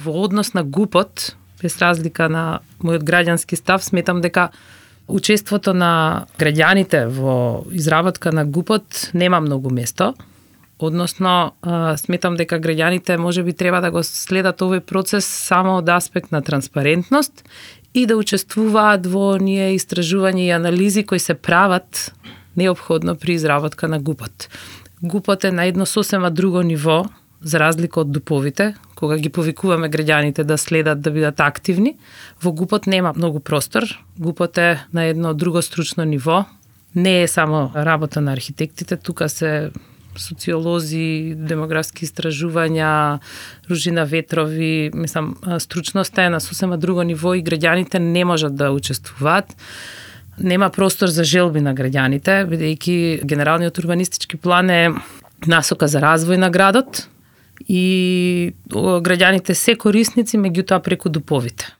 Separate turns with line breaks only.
во однос на ГУП-от, без разлика на мојот граѓански став, сметам дека учеството на граѓаните во изработка на ГУП-от нема многу место. Односно, сметам дека граѓаните можеби треба да го следат овој процес само од аспект на транспарентност и да учествуваат во оние истражувања и анализи кои се прават неопходно при изработка на ГУП-от. ГУП-от е на едно сосема друго ниво, за разлика од ДУП-овите, кога ги повикуваме граѓаните да следат, да бидат активни. Во ГУП-от нема многу простор. ГУП-от е на едно друго стручно ниво. Не е само работа на архитектите, тука се социолози, демографски истражувања, Ружина Ветрови, мислам, стручноста е на сосема друго ниво и граѓаните не можат да учествуваат. Нема простор за желби на граѓаните, бидејќи генералниот урбанистички план е насока за развој на градот и граѓаните се корисници, меѓутоа преку ДУП-овите.